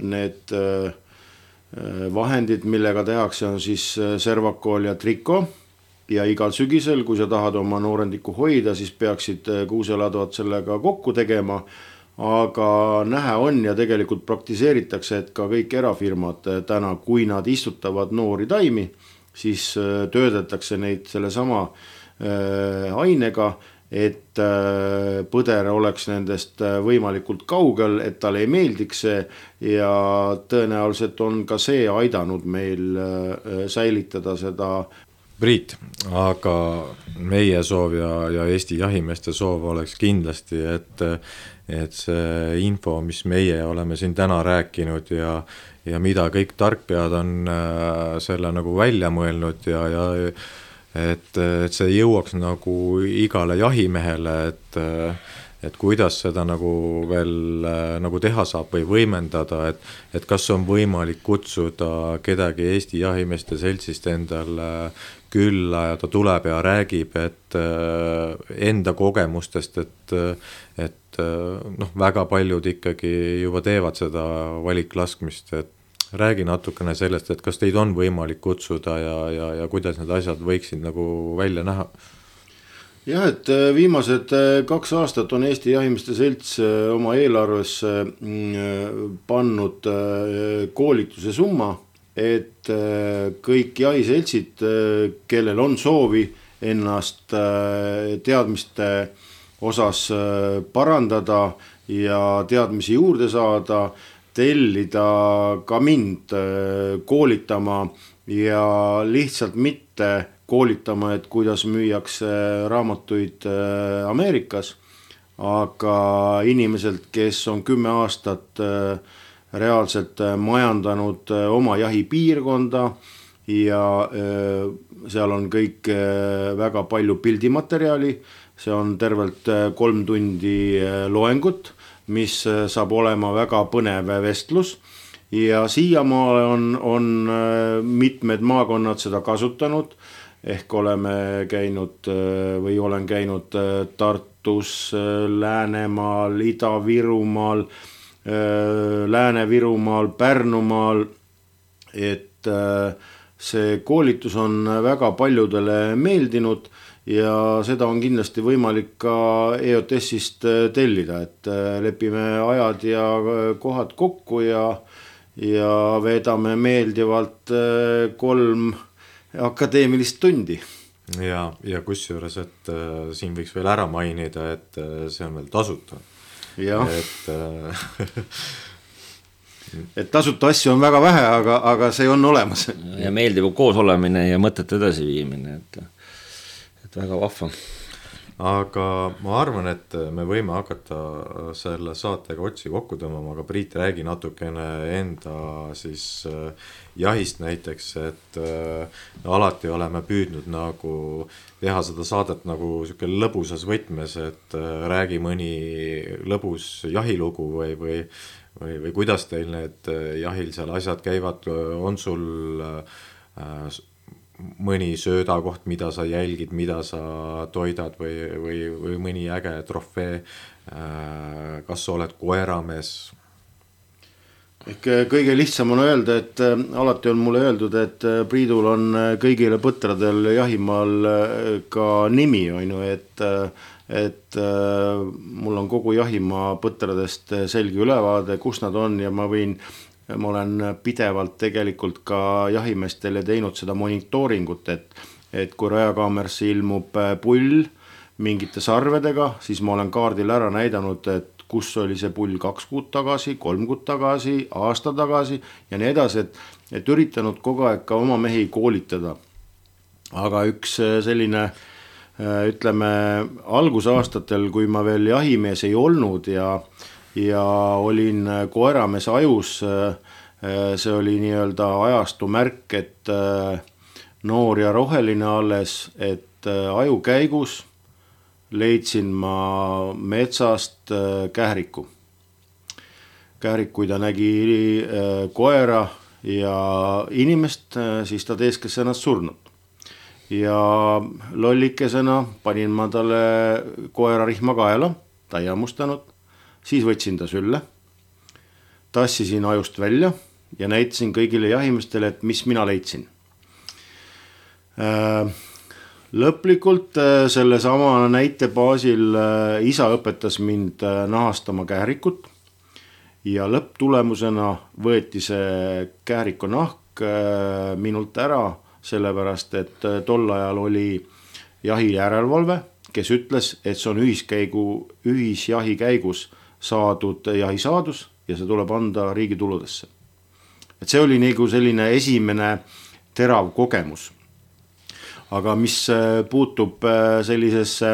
B: need vahendid, millega tehakse, on siis servakool ja triko ja igal sügisel, kui sa tahad oma noorendiku hoida, siis peaksid kuuseladvad sellega kokku tegema. Aga nähe on ja tegelikult praktiseeritakse, et ka kõik erafirmad täna, kui nad istutavad noori taimi, siis töödetakse neid selle sama ainega, et põder oleks nendest võimalikult kaugel, et talle ei meeldiks see ja tõenäoliselt on ka see aidanud meil säilitada seda.
A: Priit, aga meie soov ja, ja Eesti jahimeeste soov oleks kindlasti, et, et see info, mis meie oleme siin täna rääkinud ja, ja mida kõik tarkpead on selle nagu välja mõelnud ja, ja et, et see jõuaks nagu igale jahimehele, et, et kuidas seda nagu veel nagu teha saab või võimendada, et, et kas on võimalik kutsuda kedagi Eesti Jahimeeste Seltsist endale külla ja ta tuleb ja räägib, et enda kogemustest, et, et noh, väga paljud ikkagi juba teevad seda valiklaskmist, et räägi natukene sellest, et kas teid on võimalik kutsuda ja, ja, ja kuidas need asjad võiksid nagu välja näha?
B: Jah, et viimased kaks aastat on Eesti Jahimeeste Selts oma eelarvesse pannud koolituse summa, et kõik jahiseltsid, kellel on soovi ennast teadmiste osas parandada ja teadmisi juurde saada, tellida ka mind koolitama ja lihtsalt mitte koolitama, et kuidas müüakse raamatuid Ameerikas, aga inimeselt, kes on kümme aastat reaalselt majandanud oma jahipiirkonda ja seal on kõik väga palju pildimaterjali, see on tervelt kolm tundi loengut, mis saab olema väga põnev vestlus ja siiamaale on, on mitmed maakonnad seda kasutanud, ehk oleme käinud või olen käinud Tartus, Läänemaal, Ida-Virumaal, Lääne-Virumaal, Pärnumaal, et see koolitus on väga paljudele meeldinud ja seda on kindlasti võimalik ka E O T S-ist tellida, et lepime ajad ja kohad kokku ja, ja veedame meeldivalt kolm akadeemilist tundi.
A: Ja, ja kusjuures, et äh, siin võiks veel ära mainida, et äh, see on veel tasuta.
B: Ja.
A: Et, äh,
B: et tasuta asju on väga vähe, aga, aga see on olemas.
C: Ja meeldiv koos olemine ja mõtete edasi viimine, et et väga vahva.
A: Aga ma arvan, et me võime hakata selle saatega otsi kokku tõmbama, aga Priit, räägi natukene enda siis jahist näiteks, et alati oleme püüdnud nagu teha seda saadet nagu siuke lõbusas võtmes, et räägi mõni lõbus jahilugu või, või, või, või kuidas teil need jahil seal asjad käivad, on sul äh, mõni söödakoht, mida sa jälgid, mida sa toidad või, või, või mõni äge trofee, kas sa oled koeramees?
B: Ehk kõige lihtsam on öelda, et alati on mulle öeldud, et Priidul on kõigile põtradel jahimaal ka nimi, on ju, et, et mul on kogu jahimaa põtradest selge ülevaade, kus nad on ja ma võin ma olen pidevalt tegelikult ka jahimeestele teinud seda monitooringut, et, et kui rajakaamersse ilmub pull mingite sarvedega, siis ma olen kaardil ära näidanud, et kus oli see pull kaks kuud tagasi, kolm kuud tagasi, aasta tagasi ja nii edasi, et, et üritanud kogu aeg ka oma mehi koolitada. Aga üks selline, ütleme, algusaastatel, kui ma veel jahimees ei olnud ja ja olin koeramees ajus, see oli nii-öelda ajastu märk, et noor ja roheline alles, et aju käigus leidsin ma metsast kähriku. Kährik, kui ta nägi koera ja inimest, siis ta teeskes ennast surnud. Ja lollikesena panin ma talle koera rihma kaela, ta ei hammustanud. Siis võtsin ta sülle, tassisin ajust välja ja näitasin kõigile jahimestele, et mis mina leidsin. Lõplikult selle sama näite baasil isa õpetas mind nahastama kährikut ja lõpptulemusena võeti see kähriku nahk minult ära, sellepärast et tol ajal oli jahi järelevalve, kes ütles, et see on ühiskäigu, ühisjahi käigus saadud jahisaadus ja see tuleb anda riigi tuludesse. Et see oli nagu selline esimene terav kogemus. Aga mis puutub sellisesse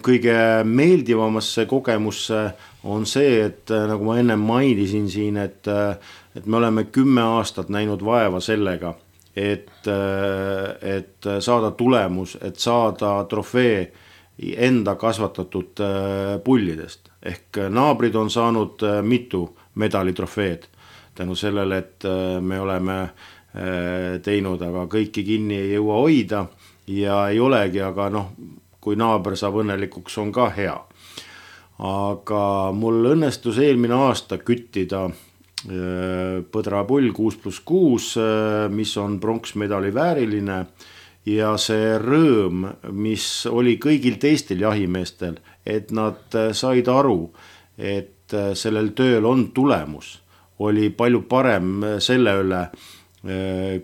B: kõige meeldivamasse kogemusse on see, et nagu ma enne mainisin siin, et, et me oleme kümme aastat näinud vaeva sellega, et, et saada tulemus, et saada trofee enda kasvatatud pullidest. Ehk naabrid on saanud mitu medalitrofeed tänu sellele, et me oleme teinud, aga kõiki kinni ei jõua hoida ja ei olegi, aga noh, kui naaber saab õnnelikuks, on ka hea. Aga mul õnnestus eelmine aasta küttida põdrapull kuus pluss kuus, mis on pronksmedali vääriline ja see rõõm, mis oli kõigil teistel jahimeestel, et nad said aru, et sellel tööl on tulemus, oli palju parem selle üle,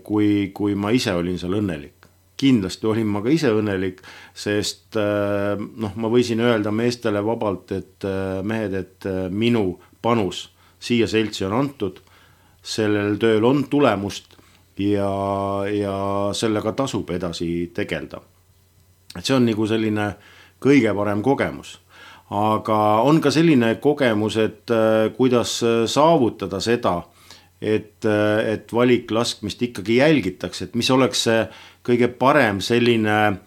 B: kui, kui ma ise olin seal õnnelik. Kindlasti olin ma ka ise õnnelik, sest noh, ma võisin öelda meestele vabalt, et mehed, et minu panus siia seltsi on antud, sellel tööl on tulemust ja, ja sellega tasub edasi tegelda. Et see on nagu selline kõige parem kogemus. Aga on ka selline kogemus, et kuidas saavutada seda, et, et valiklaskmist ikkagi jälgitakse, et mis oleks see kõige parem selline äh,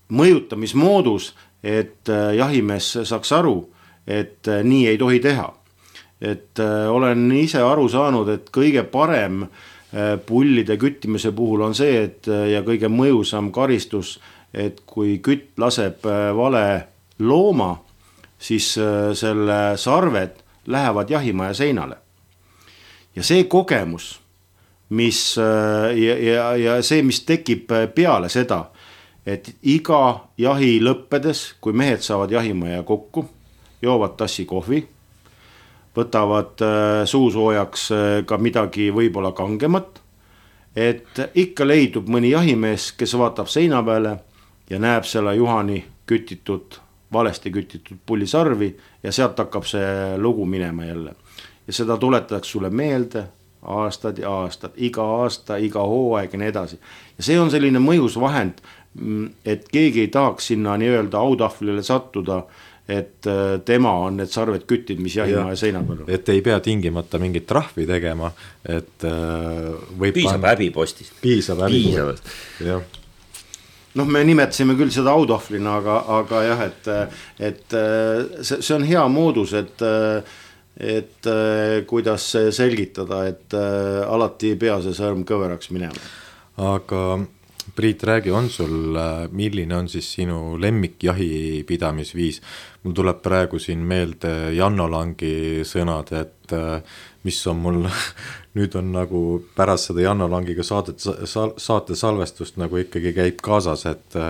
B: mõjutamismoodus, et jahimees saaks aru, et nii ei tohi teha. Et olen ise aru saanud, et kõige parem pullide küttimise puhul on see, et ja kõige mõjusam karistus, et kui kütt laseb vale looma, siis selle sarved lähevad jahimaja seinale. Ja see kogemus, mis, ja, ja, ja see, mis tekib peale seda, et iga jahi lõppedes, kui mehed saavad jahimaja kokku, joovad tassi kohvi, võtavad suusoojaks ka midagi võib-olla kangemat, et ikka leidub mõni jahimees, kes vaatab seina peale ja näeb selle Juhani kütitud, valesti kütitud pullisarvi ja sealt hakkab see lugu minema jälle. Ja seda tuletatakse sulle meelde aastad ja aastad, iga aasta, iga hooaeg ja nii edasi. Ja see on selline mõjus vahend, et keegi ei tahaks sinna nii-öelda autahvlile sattuda, et tema on need sarved kütid, mis jahimaja seina peal on.
A: Et ei pea tingimata mingit trahvi tegema, et
C: võib piisab häbipostist.
A: Piisab häbipostist, jah.
B: Noh, me nimetasime küll seda autahvlina, aga, aga jah, et, et see, see on hea moodus, et, et kuidas selgitada, et alati ei pea see sõrm kõveraks minema.
A: Aga Priit, räägi, on sul, milline on siis sinu lemmik jahipidamisviis? Mul tuleb praegu siin meelde Janno Langi sõnad, et mis on mul, nüüd on nagu pärast seda Janno Langiga saadet, saate salvestust nagu ikkagi käib kaasas, et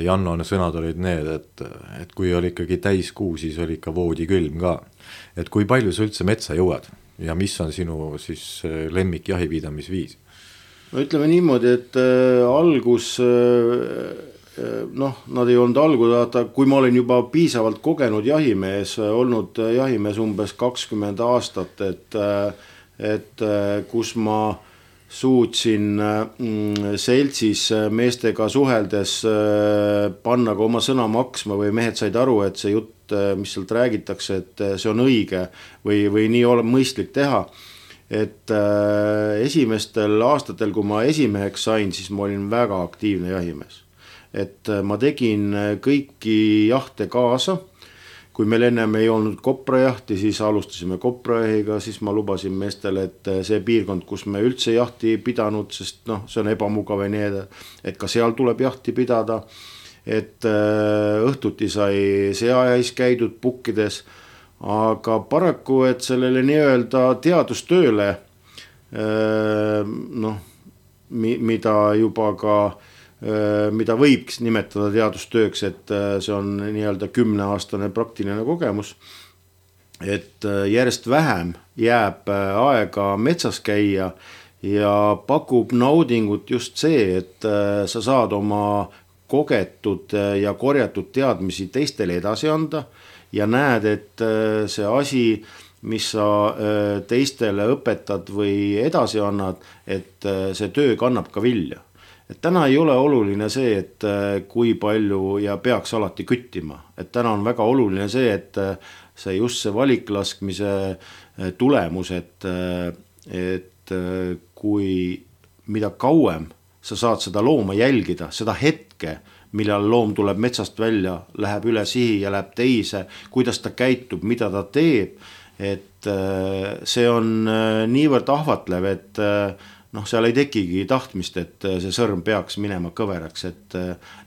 A: Janno sõnad olid need, et, et kui oli ikkagi täis kuu, siis oli ikka voodi külm ka. Et kui palju sa üldse metsa jõuad ja mis on sinu siis lemmik jahipidamisviis?
B: No ütleme niimoodi, et äh, algus, äh, noh, nad ei olnud algud, kui ma olin juba piisavalt kogenud jahimees, olnud jahimees umbes kakskümmend aastat, et, et kus ma suutsin äh, seltsis meestega suheldes äh, panna ka oma sõna maksma või mehed said aru, et see jutt, mis sealt räägitakse, et see on õige või, või nii ole mõistlik teha. Et äh, esimestel aastatel, kui ma esimeheks sain, siis ma olin väga aktiivne jahimees. Et äh, ma tegin kõiki jahte kaasa. Kui meil ennem ei olnud koprajahti, siis alustasime koprajahiga, siis ma lubasin meestele, et see piirkond, kus me üldse jahti pidanud, sest noh, see on ebamugav ja nii edasi, et ka seal tuleb jahti pidada. Et äh, õhtuti sai seajais käidud pukkides, aga paraku, et sellele nii-öelda teadustööle, noh, mida juba ka, mida võiks nimetada teadustööks, et see on nii-öelda kümneaastane praktiline kogemus, et järjest vähem jääb aega metsas käia ja pakub naudingut just see, et sa saad oma kogetud ja korjatud teadmisi teistele edasi anda, ja näed, et see asi, mis sa teistele õpetad või edasi annad, et see töö kannab ka vilja. Et täna ei ole oluline see, et kui palju ja peaks alati küttima. Et täna on väga oluline see, et see just see valiklaskmise tulemus, et, et kui mida kauem sa saad seda looma jälgida, seda hetke, millal loom tuleb metsast välja, läheb üle sihi ja läheb teise, kuidas ta käitub, mida ta teeb, et see on niivõrd ahvatlev, et noh, seal ei tekigi tahtmist, et see sõrm peaks minema kõveraks, et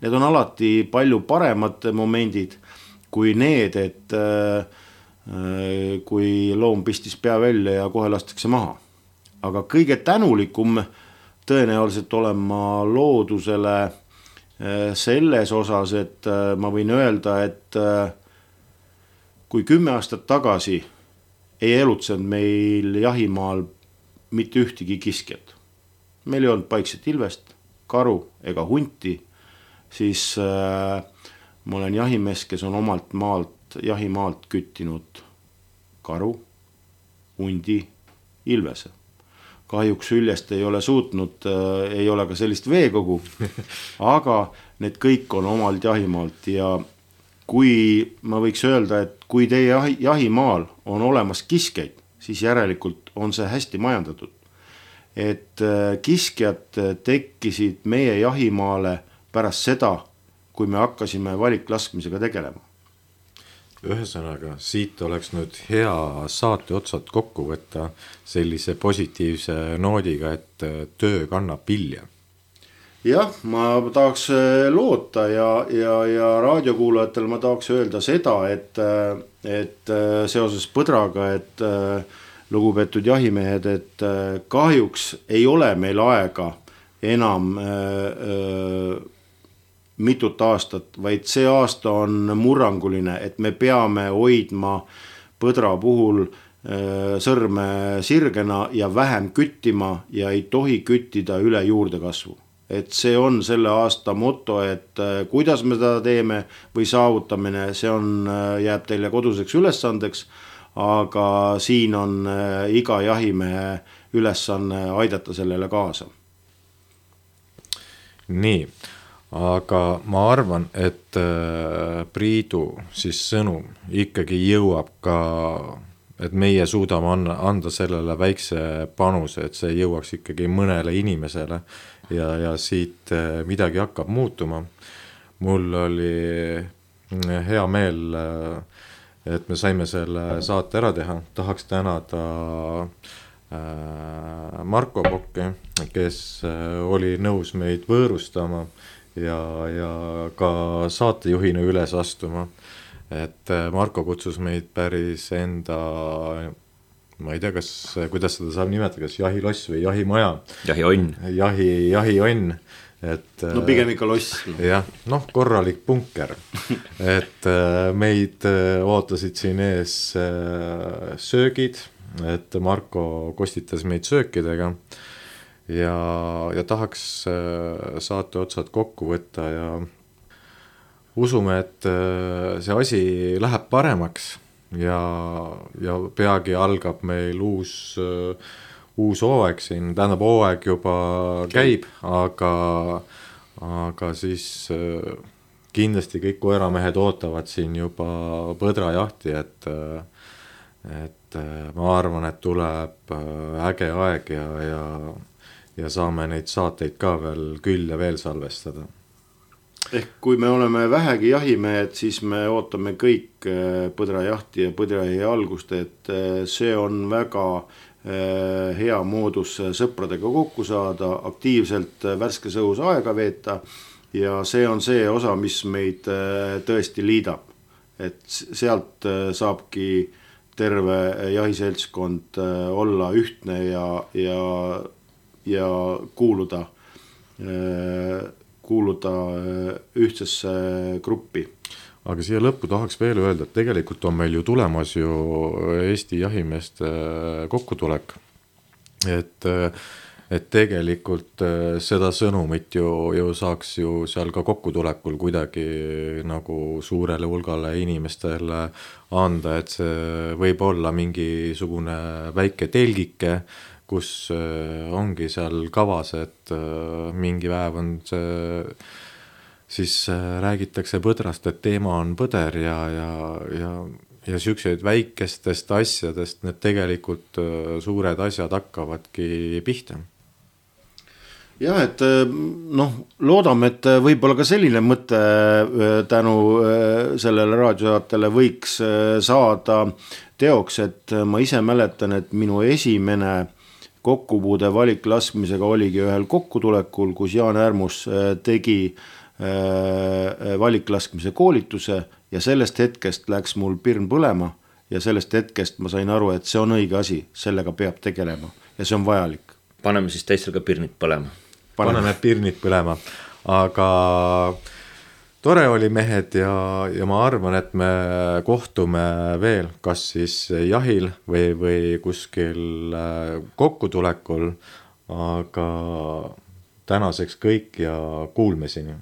B: need on alati palju paremad momendid kui need, et kui loom pistis pea välja ja kohe lastakse maha. Aga kõige tänulikum tõenäoliselt olen ma loodusele selles osas, et ma võin öelda, et kui kümme aastat tagasi ei elutsenud meil jahimaal mitte ühtegi kiskjat. Meil ei olnud paikset ilvest, karu ega hunti, siis äh, ma olen jahimees, kes on omalt maalt, jahimaalt küttinud karu, hundi, ilvese. Kahjuks Üljest ei ole suutnud, äh, ei ole ka sellist veekogu, aga need kõik on omalt jahimaalt ja kui ma võiks öelda, et kui teie jahimaal on olemas kiskeid, siis järelikult on see hästi majandatud. Et kiskjad tekkisid meie jahimaale pärast seda, kui me hakkasime valiklaskmisega tegelema.
A: Ühesõnaga, siit oleks nüüd hea saate otsad kokku võtta sellise positiivse noodiga, et töö kannab vilja.
B: Jah, ma tahaks loota ja, ja, ja raadiokuulajatel ma tahaks öelda seda, et, et seoses põdraga, et lugupeetud jahimehed, et kahjuks ei ole meil aega enam äh, mitut aastat, vaid see aasta on murranguline, et me peame hoidma põdra puhul äh, sõrme sirgena ja vähem küttima ja ei tohi küttida üle juurdekasvu. Et see on selle aasta moto, et äh, kuidas me seda teeme või saavutamine, see on, äh, jääb teile koduseks ülesandeks, aga siin on äh, iga jahimehe ülesanne aidata sellele kaasa.
A: Nii, aga ma arvan, et äh, Priidu siis sõnum ikkagi jõuab ka, et meie suudame anda, anda sellele väikse panuse, et see jõuaks ikkagi mõnele inimesele ja, ja siit midagi hakkab muutuma. Mul oli hea meel, et me saime selle saate ära teha. Tahaks tänada Marko Pokki, kes oli nõus meid võõrustama ja, ja ka saatejuhina üles astuma. Et Marko kutsus meid päris enda, ma ei tea, kas, kuidas seda saab nimetada, kas jahiloss või jahimaja.
C: Jahionn.
A: Jahi, jahionn. Et,
B: no pigem ikka loss.
A: Jah, noh, korralik punker. Et meid ootasid siin ees söögid, et Marko kostitas meid söökidega ja, ja tahaks saate otsad kokku võtta ja usume, et see asi läheb paremaks ja, ja peagi algab meil uus, uus hooaeg siin, tähendab hooaeg juba käib, aga, aga siis kindlasti kõik koeramehed ootavad siin juba põdrajahti, et, et ma arvan, et tuleb äge aeg ja, ja, ja saame neid saateid ka veel küll ja veel salvestada.
B: Ehk kui me oleme vähegi jahimehed, siis me ootame kõik põdrajahti ja põdrajahi algust, et see on väga hea moodus sõpradega kokku saada, aktiivselt värskes õhus aega veeta ja see on see osa, mis meid tõesti liidab. Et sealt saabki terve jahiseltskond olla ühtne ja, ja, ja kuuluda kuuluda ühtsesse gruppi.
A: Aga siia lõppu tahaks veel öelda, et tegelikult on meil ju tulemas ju Eesti jahimeeste kokkutulek. Et, et tegelikult seda sõnumit ju, ju saaks ju seal ka kokkutulekul kuidagi nagu suurele hulgale inimestele anda, et see võib olla mingisugune väike telgike, kus ongi seal kavas, et mingi päev on see, siis räägitakse põdrast, et teema on põder ja, ja, ja, ja siukseid väikestest asjadest need tegelikult suured asjad hakkavadki pihta.
B: jah, et noh, loodame, et võib-olla ka selline mõte tänu sellele raadiosaatele võiks saada teoks, et ma ise mäletan, et minu esimene kokkupuude valiklaskmisega oligi ühel kokkutulekul, kus Jaan Härmus tegi valiklaskmise koolituse ja sellest hetkest läks mul pirn põlema ja sellest hetkest ma sain aru, et see on õige asi, sellega peab tegelema ja see on vajalik.
C: Paneme siis teistel ka pirnid põlema.
A: Paneme, Paneme pirnid põlema, aga tore oli mehed ja, ja ma arvan, et me kohtume veel, kas siis jahil või, või kuskil kokkutulekul, aga tänaseks kõik ja kuulmiseni.